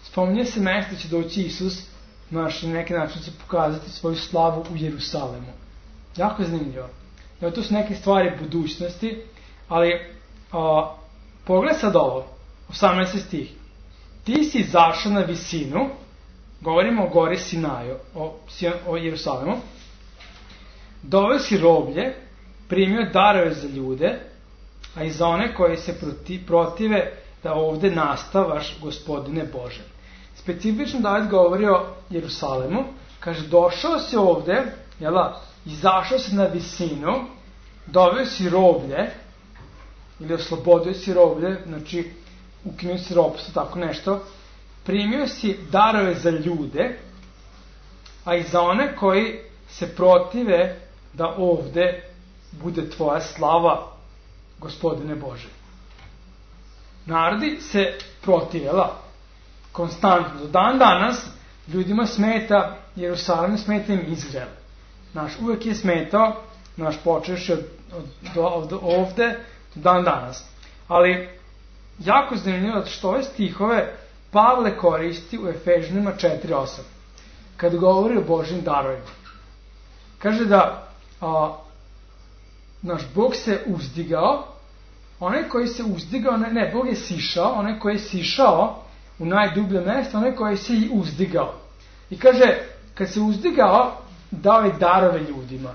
spominje se mesto će doći Isus, na neki način će pokazati svoju slavu u Jerusalemu. Jako je zanimljivo. To su neke stvari budućnosti, ali pogled sad ovo, 18. stih. Ti si izašao na visinu, govorimo o gori Sinaju, o Jerusalimu, doveo si roblje, primio darove za ljude, a i za one koji se protive da ovde nastavaš, Gospodine Bože. Specifično David govori o Jerusalimu, kaže, došao si ovde, izašao si na visinu, doveo si roblje, ili oslobodio si roblje, znači ukinuo si ropstvo, tako nešto, primio si darove za ljude, a i za one koji se protive da ovde bude tvoja slava, Gospodine Bože. Narodi se protivela konstantno. Do dan danas ljudima smeta Jerusalim, smeta im Izrael. Uvek je smetao, počeš od ovde do dan danas. Ali jako zanimljivo što ove stihove Pavle koristi u Efežanima 4.8, kad govori o Božjim darovima. Kaže da naš Bog se uzdigao, onaj koji se uzdigao, Bog je sišao, onaj koji je sišao u najdublje mesto, onaj koji se i uzdigao. I kaže, kad se uzdigao, dao je darove ljudima.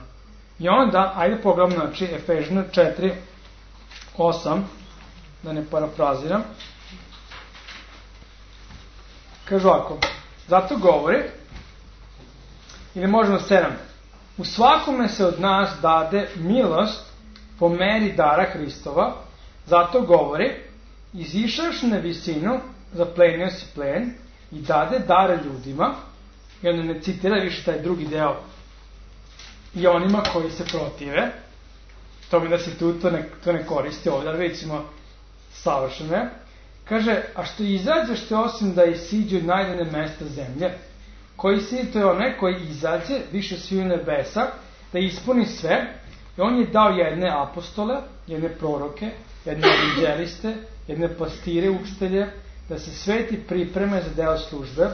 I onda, ajde pogledamo, znači, Efežana 4.8, da ne parafraziram, kaže ovako, zato govori, ili možemo 7, u svakome se od nas dade milost po meri dara Hristova, zato govori, izišaš na visinu, zaplenio si plen i dade dare ljudima, i onda ne citira više taj drugi deo, i onima koji se protive, to mi da se to ne koristi ovdje, ali vidimo savršene, kaže, a što izađeš te osim da isiđe najdene mesta zemlje, koji si, to je onaj koji izađe više svi u nebesa, da ispuni sve, i on je dao jedne apostole, jedne proroke, jedne evanđeliste, jedne pastire, učitelje, da se sveti pripreme za deo službe,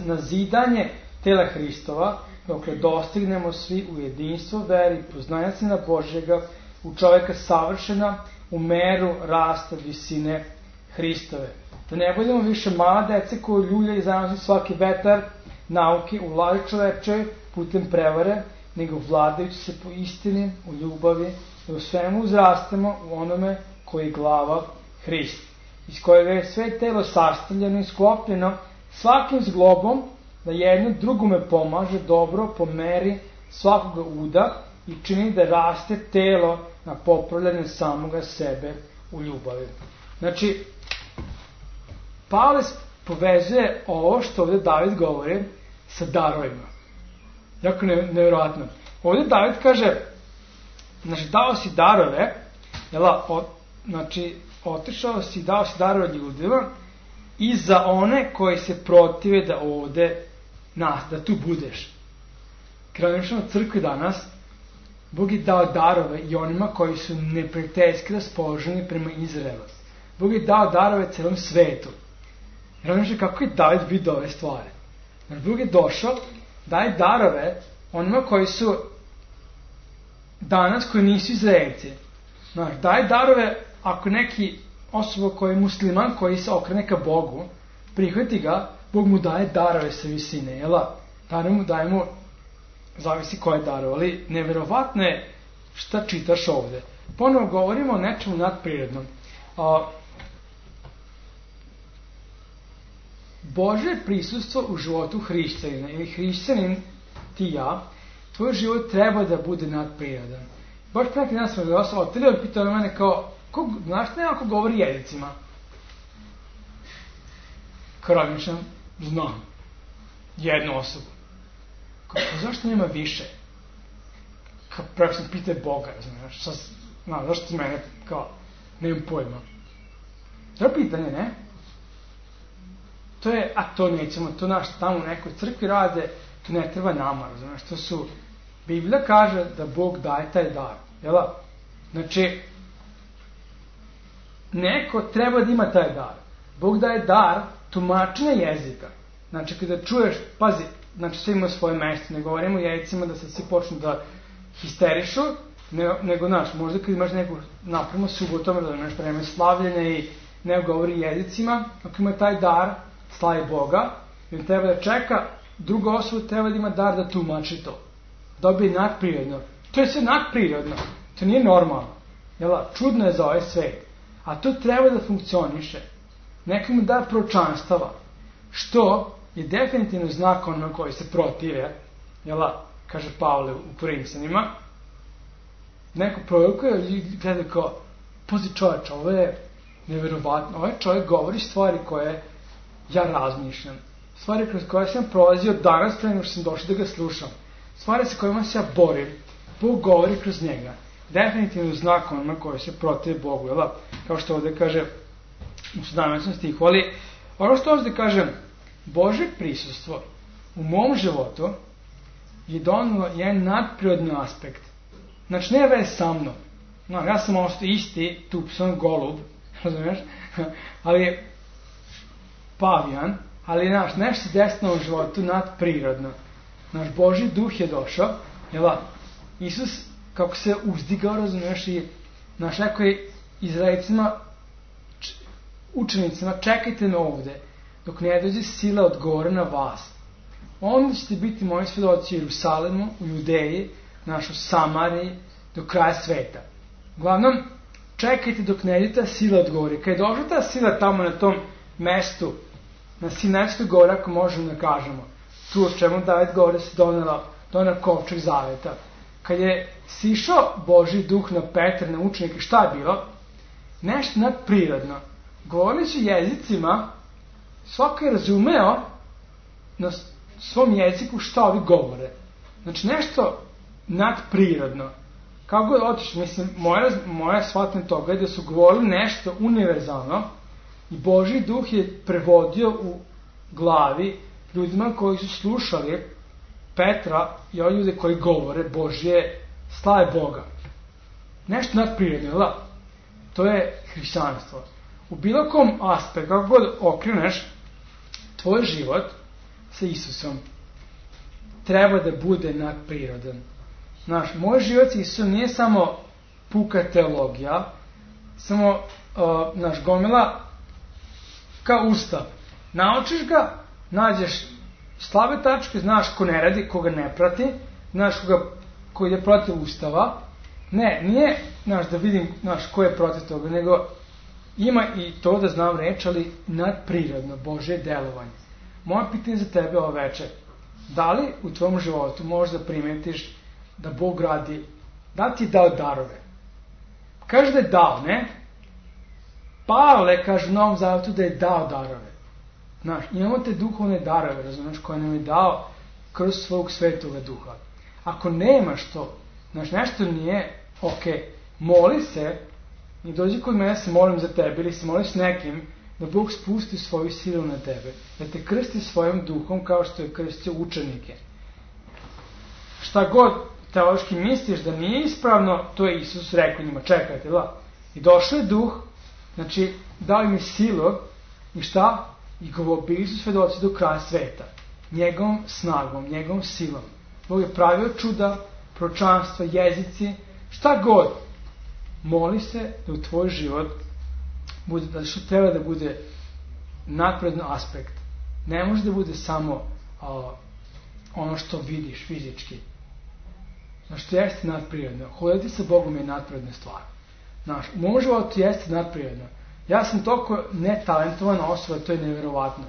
na zidanje tela Hristova, dokle dostignemo svi u jedinstvo veri, poznanja Sina Božjega, u čoveka savršena, u meru rasta visine Hristove. Da ne budemo više mala dece koji ljulja i zanosi svaki vetar nauke u vladi čoveče putem prevare, nego vladajući se po istini, u ljubavi, da u svemu uzrastemo u onome koji je glava Hrist. iz kojeg je sve telo sastavljeno i sklopljeno, svakim zglobom da jedno drugome pomaže dobro po meri svakoga uda i čini da raste telo na popravljanje samoga sebe u ljubavi. Znači, Pavle povezuje ovo što ovdje David govori sa darovima. Jako nevjerojatno. Ovdje David kaže, znači, dao si darove, znači, otišao si, dao si darove ljudima i za one koji se protive da ovde da tu budeš. Kraljevično crkvi danas, Bog je dao darove i onima koji su neprijateljski raspoloženi prema Izraelu. Bog je dao darove celom svetu. Kraljevično, kako je David vidio ove stvari? Znači, Bog je došao, daje darove onima koji su danas, koji nisu Izraelci. Znači, daje darove ako neki osoba koji je musliman, koji se okrene ka Bogu, prihvati ga, Bog mu daje darove sa visine, jela? Daje mu, zavisi koje darove, ali neverovatno je šta čitaš ovde. Ponovo govorimo o nečemu nadprirodnom. Božje prisustvo u životu hrišćanina, ili hrišćanin ti ja, tvoj život treba da bude nadprirodan. Baš pre neki dan smo ga oteli, on pitao na mene kao, znaš ne ako govori jezicima? Kao razmišljam, znam. Jednu osobu. Kao, zašto nema više? Kao, preko sam pitao Boga, znaš, zašto ti mene, kao, nemam pojma. To je pitanje, ne? To je, a to nećemo, to naš tamo u nekoj crkvi rade, to ne treba nama, znaš, to su, Biblija kaže da Bog daje taj dar, jel? Znači, neko treba da ima taj dar. Bog daje dar tumačenja jezika. Znači, kada čuješ, pazi, znači, sve ima svoje mesto, ne govorimo jezicima da se svi počnu da histerišu, nego, znaš, možda kad imaš neku napravimo subotom, da imaš vreme slavljenja i ne govori jezicima, ako ima taj dar, slavi Boga, i on treba da čeka, druga osoba treba da ima dar da tumači to. Dobije nadprirodno. To je sve nadprirodno. To nije normalno. Jela, čudno je za ovaj svet. A to treba da funkcioniše. Neko mu dar proročanstava. Što je definitivno znak onima koji se protive. Jela, kaže Pavle u Korinćanima. Neko prorokuje i gleda kao, pazi čovječ, ovo je neverovatno. Ovaj čovjek govori stvari koje ja razmišljam. Stvari kroz koje sam prolazio danas pre nego što sam došao da ga slušam. Stvari sa kojima se ja borim, Bog govori kroz njega. Definitivno znak onima koji se protive Bogu, jel? Kao što ovdje kaže u 17. stihu, ali ono što ovdje kaže, Božje prisustvo u mom životu je donalo jedan nadprirodni aspekt. Znači, ne vez sa mnom. No, ja sam ostao isti, tupson, golub, razumiješ? Ali je pavijan, ali nešto se desilo u životu nadprirodno. Naš Božji duh je došao, jel? Isus, kako se uzdigao, razumiješ, i naš rekao je Izraelcima, učenicima, čekajte me ovde, dok ne dođe sila od gore na vas. Onda ćete biti moji svedoci u Jerusalemu, u Judeji, u Samariji, do kraja sveta. Uglavnom, čekajte dok ne ide ta sila od gore. Kad je došla ta sila tamo na tom mestu, na Sinajskoj gori, ako možemo da kažemo, tu o čemu David govori se donela kovčeg zaveta. Kad je sišao Božji duh na Petra, na učenike, šta je bilo? Nešto nadprirodno. Govoreći jezicima, svako je razumeo na svom jeziku šta ovi govore. Znači nešto nadprirodno. Kako god otiš, mislim, moja shvatanje toga je da su govorili nešto univerzalno i Božji duh je prevodio u glavi ljudima koji su slušali Petra i ovi ljude koji govore Božje slave Boga. Nešto nadprirodno, da? To je hrišćanstvo. U bilo kom aspektu, kako god okreneš, tvoj život sa Isusom treba da bude nadprirodan. Znaš, moj život sa Isusom nije samo puka teologija, samo, gomila kao ustav. Naučiš ga, nađeš slabe tačke, znaš ko ne radi, koga ne prati, znaš ko ide protiv ustava. Ne, nije, da vidim, ko je protiv toga, nego ima i to da znam reč, ali nadprirodno, Božje delovanje. Moje pitanje za tebe ovo večer, da li u tvom životu možda primetiš da Bog radi, da ti je dao darove? Kaže da je dao, ne? Pavle kaže u Novom Zavjetu da je dao darove. Znaš, imamo te duhovne darove, razumiješ, koje nam je dao kroz svog svetoga duha. Ako nemaš to, znaš, nešto nije, moli se i dođi kod mene, se molim za tebe, ili se moliš nekim, da Bog spusti svoju silu na tebe, da te krsti svojim duhom kao što je krstio učenike. Šta god teološki misliš da nije ispravno, to je Isus rekao njima, čekajte, da. I došao je duh, znači dao im je silu i šta? I go bili su svedoci do kraja sveta. Njegovom snagom, njegovom silom. Bog je pravio čuda, proročanstva, jezici, šta god. Moli se da u tvoj život bude, da što treba da bude nadprirodan aspekt. Ne može da bude samo ono što vidiš fizički. Znaš, to jeste nadprirodno. Hoditi sa Bogom je nadprirodna stvar. Znaš, u mom životu jeste nadprirodno. Ja sam toliko netalentovana osoba, to je nevjerovatno.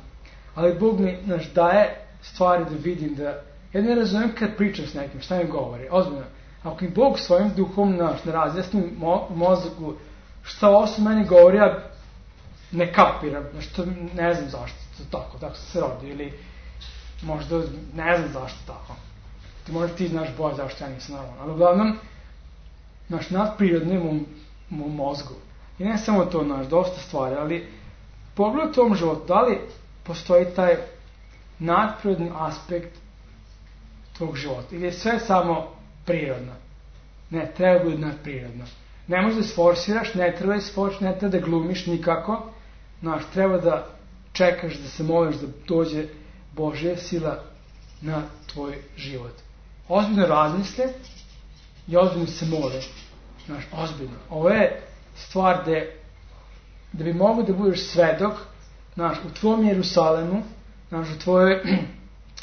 Ali Bog mi, znaš, daje stvari da vidim da... Ja ne razumijem kad pričam s nekim, šta mi govori. Ozbiljno. Ako mi Bog svojim duhom, znaš, ne razjasni mozgu šta ovo meni govori, ja ne kapiram. Znaš, to ne znam zašto. Tako se rodi. Ili možda ne znam zašto tako. Možda ti znaš bolje zašto ja nisam normalan. Ali uglavnom, znaš, nadprirodno je mom mozgu. I ne samo to, znaš, dosta stvari, ali pogledaj u tom životu, da li postoji taj nadprirodni aspekt tvog života? Ili je sve samo prirodno? Ne, treba biti nadprirodno. Ne možeš da sforsiraš, ne treba da sforsiraš, ne treba da glumiš nikako. Znaš, treba da čekaš, da se moliš da dođe Božja sila na tvoj život. Ozbiljno razmisle i ozbiljno se mole. Znaš, ozbiljno. Ovo je stvar da bi mogo da budeš svedok, znaš, u tvom Jerusalemu, znaš, u tvojoj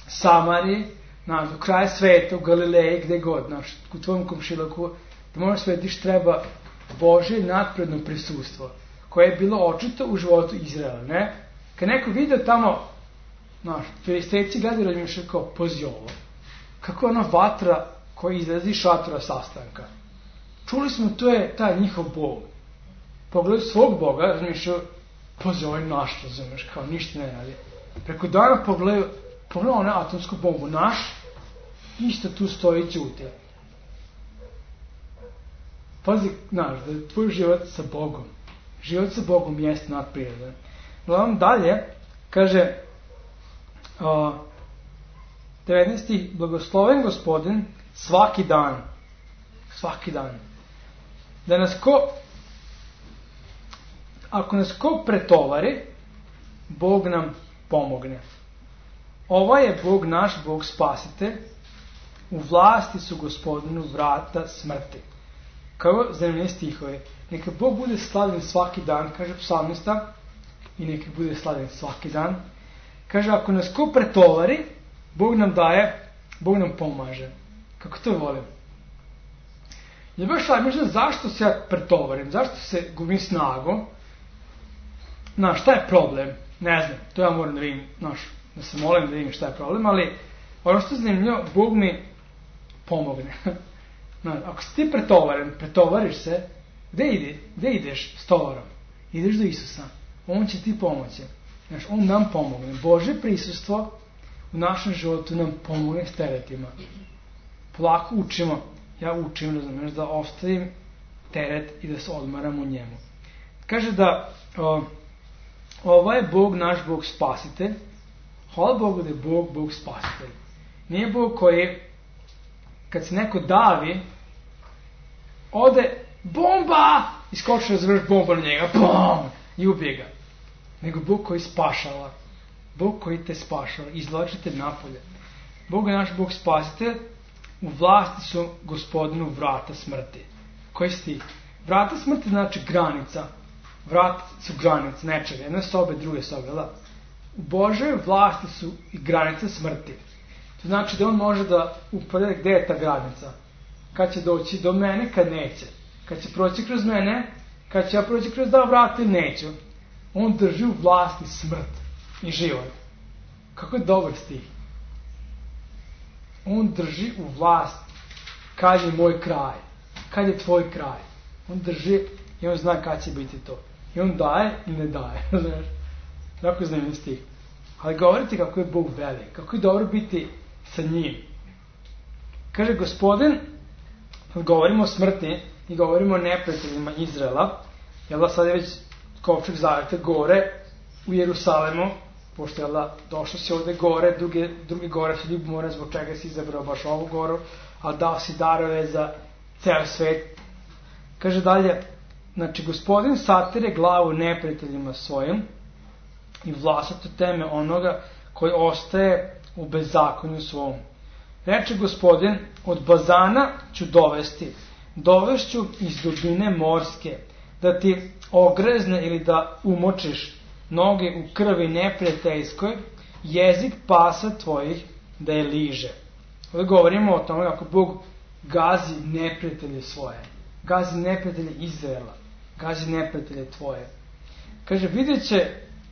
Samariji, znaš, do kraja sveta, u Galileji, gde god, znaš, u tvojom komšiluku, da možeš svetiš, treba Božje nadprirodno prisustvo, koje je bilo očito u životu Izraela, ne? Kad neko vidio tamo, znaš, filistejci gledaju razmišljaju kao, pozi ovo, kako je ona vatra koja izlazi iz šatora sastanka. Čuli smo, to je taj njihov Bog. Pogledaju svog Boga, razmišljaju, pozi, ovo je naš, razumeš, kao ništa ne radi. Preko dana pogledaju onu atomsku bombu, naš, isto tu stoji ćute. Pazi, znaš, da je tvoj život sa Bogom. Život sa Bogom jeste nadprirodan. Gledam dalje, kaže, 19. Blagosloven Gospodin svaki dan. Svaki dan. Da nas ako nas ko pretovari, Bog nam pomogne. Ovaj je Bog naš, Bog spasitelj, u vlasti su Gospodinu vrata smrti. Kao zanimljivi stihovi. Neka Bog bude slavljen svaki dan, kaže psalmista, i neka bude slavljen svaki dan. Kaže, ako nas ko pretovari, Bog nam daje, Bog nam pomaže. Kako to volim? Ja baš razmišljam zašto se ja pretovarim, zašto se gubim snagu. Znaš, šta je problem? Ne znam, to ja moram da vidim, znaš, da se molim da vidim šta je problem, ali ono što je zanimljivo, Bog mi pomogne. Znaš, ako si ti pretovariš se, gde ideš s tovarom? Ideš do Isusa, On će ti pomoći. Znaš, On nam pomogne. Božje prisustvo u našem životu nam pomogne s teretima. Polako učimo, ja učim, razumiješ, da ostavim teret i da se odmaram u njemu. Kaže da ovo je Bog, naš Bog spasitelj. Hvala Bogu da je Bog spasitelj. Nije Bog koji, kad se neko davi, ode, bomba! Iskoči razvrš bomba na njega, bom! I ubije ga. Nego Bog koji spašava. Bog koji te spašava. Izvlači te napolje. Bog je naš Bog spasitelj. U vlasti su Gospodinu vrata smrti. Koji si ti? Vrata smrti znači granica. Vrata su granice nečega. Jedne sobe, druge sobe. Da? U Božoj vlasti su i granice smrti. To znači da On može da upogleda gde je ta granica. Kad će doći do mene, kad neće. Kad će proći kroz mene, kad će ja proći kroz dva vrata ili neću, on drži u vlasti smrt i život. Kako je dobar stih. On drži u vlast kad je moj kraj, kad je tvoj kraj. On drži i on zna kad će biti to. I on daje i ne daje. Tako je zanimljiv stih. Ali govorite kako je Bog velik, kako je dobro biti sa njim. Kaže Gospodin, kad govorimo o smrti i govorimo o neprijateljima Izraela, jel da sad je već kovčeg zaveta gore u Jerusalemu, pošto jel da došao si ovde gore, druge gore su ljubomore, zbog čega si izabrao baš ovu goru, ali dao si darove za ceo svet. Kaže dalje, znači Gospodin satire glavu neprijateljima svojim i vlasato teme onoga koji ostaje u bezakonju svom. Reče Gospodin, od bazana ću dovešću iz dubine morske, da ti ogrezne ili da umočiš noge u krvi neprijateljskoj, jezik pasa tvojih da je liže. Ovdje govorimo o tome kako Bog gazi neprijatelje svoje, gazi neprijatelje Izraela, gazi neprijatelje tvoje. Kaže,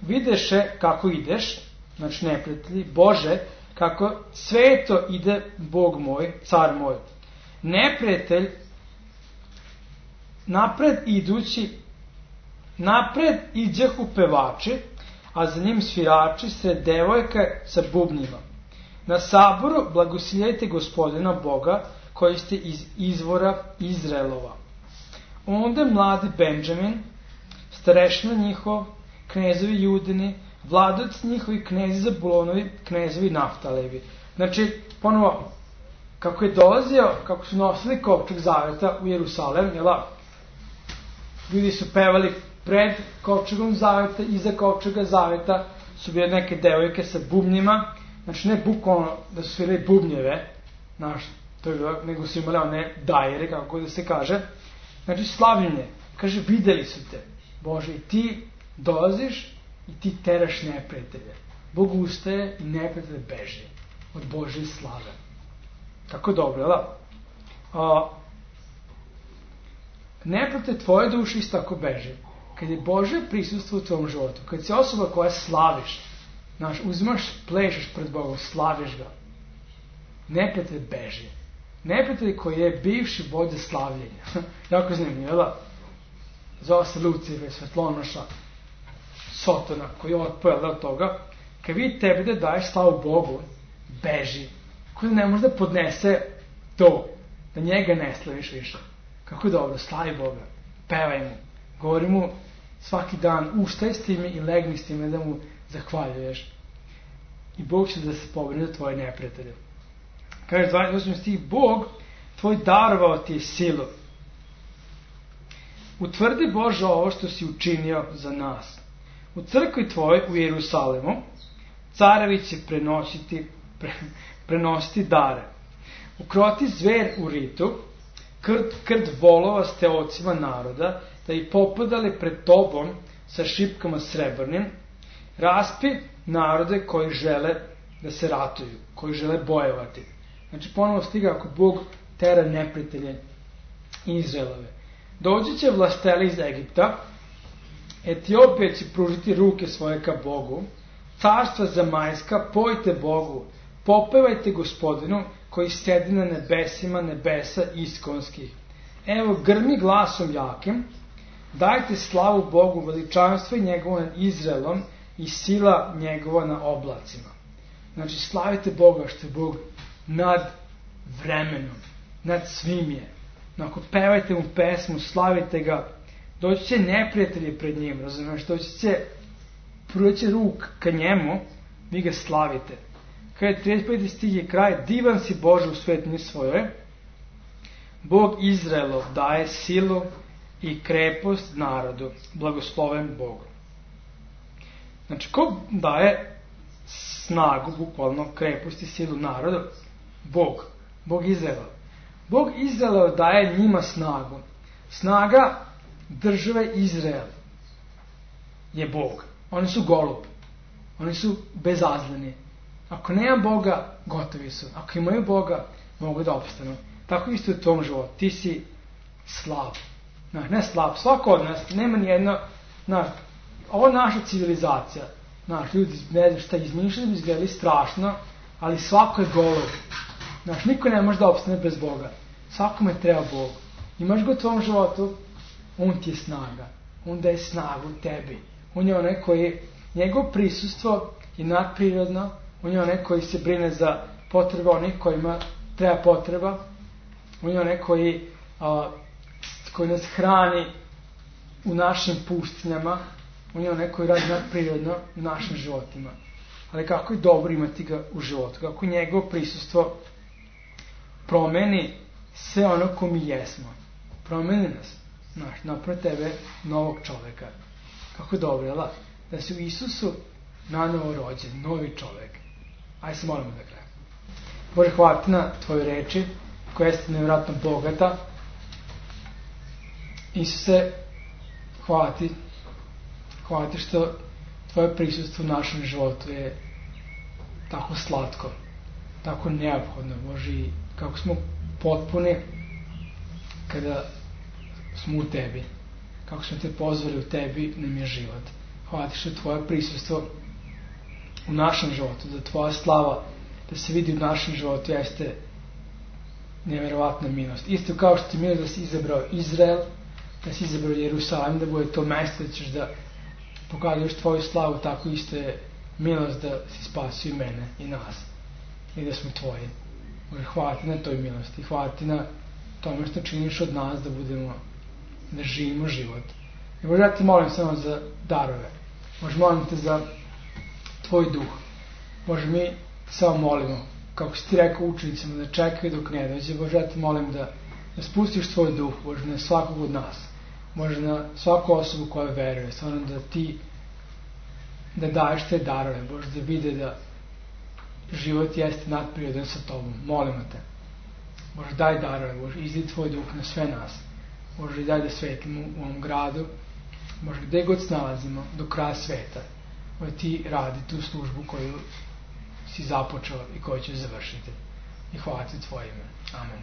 videše kako ideš, znači neprijatelji, Bože, kako sveto ide Bog moj, car moj. Neprijatelj, napred iđehu pevači, a za njim svirači sred devojka sa bubnjima. Na saboru blagosiljajte Gospodina Boga, koji ste iz izvora Izraelova. Onda mladi Benjamin, starešina njihov, knezovi Judini, vladac njihovi, knezi Zabulonovi, knezovi Naftalevi. Znači, ponovo, kako je dolazio, kako su nosili kovčeg zaveta u Jerusalem, jela, ljudi su pevali pred kovčegom zaveta, iza kovčega zaveta su bile neke devojke sa bubnjima, znači ne bukvalno da su svirali bubnjeve, to je bilo, nego su imali one dajere, kako da se kaže, znači slavljenje, kaže, videli su te, Bože, i ti dolaziš i ti teraš neprijatelje. Bog ustaje i neprijatelje beži od Božje slave. Tako dobro, da? Neprijatelj tvoje duše isto tako beži. Kad je Božje prisustvo u tvom životu, kad si osoba koja slaviš, uzimaš, plešeš pred Bogom, slaviš ga, neprijatelj beži. Neprijatelj koji je bivši vođa slavljenja. Jako zanimljivo, da? Zove se Lucifer, Svetlonoša, Sotona, koji je otpojel od toga, kad vidi tebe da daješ slavu Bogu, beži. Kako da ne može da podnese to, da njega ne slaviš više. Kako je dobro, slavi Boga, pevaj mu, govori mu svaki dan, ustaj s time i legni s time da mu zahvaljuješ. I Bog će da se pobrine za tvoje neprijatelje. Kaže 28. stih, Bog tvoj darovao ti je silu. Utvrdi Bože ovo što si učinio za nas. U crkvi tvoj u Jerusalemu carevi će prenositi dare. Ukroti zver u ritu, krd volova ste ocima naroda, da i popadali pred tobom sa šipkama srebrnim, raspi narode koji žele da se ratuju, koji žele bojevati. Znači ponovo stiga ako Bog tera neprijatelje Izraelove. Dođi će vlasteli iz Egipta, Etiopija će pružiti ruke svoje ka Bogu, carstva zamajska, pojte Bogu, popevajte Gospodinu koji sedi na nebesima nebesa iskonskih. Evo grmi glasom jakim, dajte slavu Bogu, veličanstvo njegovo nad Izraelom i sila njegova na oblacima. Znači slavite Boga što je Bog nad vremenom, nad svim je. Ako pevajte mu pesmu, slavite ga, doći će neprijatelji pred njim, razumiješ, proći će ruk ka njemu, vi ga slavite. Kada je 35. stih je kraj, divan si Bože u svetini svoje, Bog Izraelov daje silu i krepost narodu, blagosloven Bog. Znači, ko daje snagu, bukvalno, krepost i silu narodu? Bog. Bog Izraelov. Bog Izraelov daje njima snagu. Snaga države Izrael je Bog. Oni su golubi. Oni su bezazleni. Ako nema Boga, gotovi su. Ako imaju Boga, mogu da opstanu. Tako isto u tom životu. Ti si slav. Ne slab, svako od nas, nema nijedno, ovo je naša civilizacija, ljudi, ne znam šta, izmišljali bi izgledali strašno, ali svako je golov. Niko ne može da opstane bez Boga. Svakome treba Bog. Imaš ga u tvom životu, on ti je snaga. On daje snagu tebi. On je onaj koji, njegovo prisustvo je nadprirodno, on je onaj koji se brine za potrebe onih kojima treba potreba, on je onaj koji nas hrani u našim pustinjama, on je onaj koji radi nadprirodno u našim životima. Ali kako je dobro imati ga u životu, kako njegovo prisustvo promeni sve ono ko mi jesmo. Promeni nas, napravi tebe novog čoveka. Kako je dobro, jel' da si u Isusu nanovo rođen, novi čovek. Ajde se molimo da krenemo. Bože, hvala ti na tvoje reči, koja jeste nevjerojatno bogata. Isuse, hvala ti što tvoje prisustvo u našem životu je tako slatko, tako neophodno, Bože, i kako smo potpuni kada smo u tebi, kako smo te pozvali u tebi, nam je život. Hvala ti što je tvoje prisustvo u našem životu, da tvoja slava da se vidi u našem životu jeste nevjerovatna milost. Isto kao što ti milost da si izabrao Izrael, da si izabrao Jerusalim, da bude to mesto da ćeš da pokazuješ tvoju slavu, tako isto je milost da si spasio i mene i nas i da smo tvoji. Bože, hvala ti na toj milosti, hvala ti na tome što činiš od nas da živimo život. I Bože, ja ti molim samo za darove. Bože, molim te za tvoj duh. Bože, mi samo molimo, kako si ti rekao učenicima, da čekaju dok ne dođe. Bože, ja ti molim da spustiš tvoj duh, Bože, na svakog od nas. Bože, na svaku osobu koja veruje, stvarno da ti da daješ te darove, Bože, da vide da život jeste nadprirodan sa tobom. Molimo te. Bože, daj darove, Bože, izli tvoj duh na sve nas. Bože, daj da svetimo u ovom gradu. Bože, gde god snalazimo, do kraja sveta. Bože, ti radi tu službu koju si započeo i koju ćeš završiti. I hvala ti tvoje ime. Amen.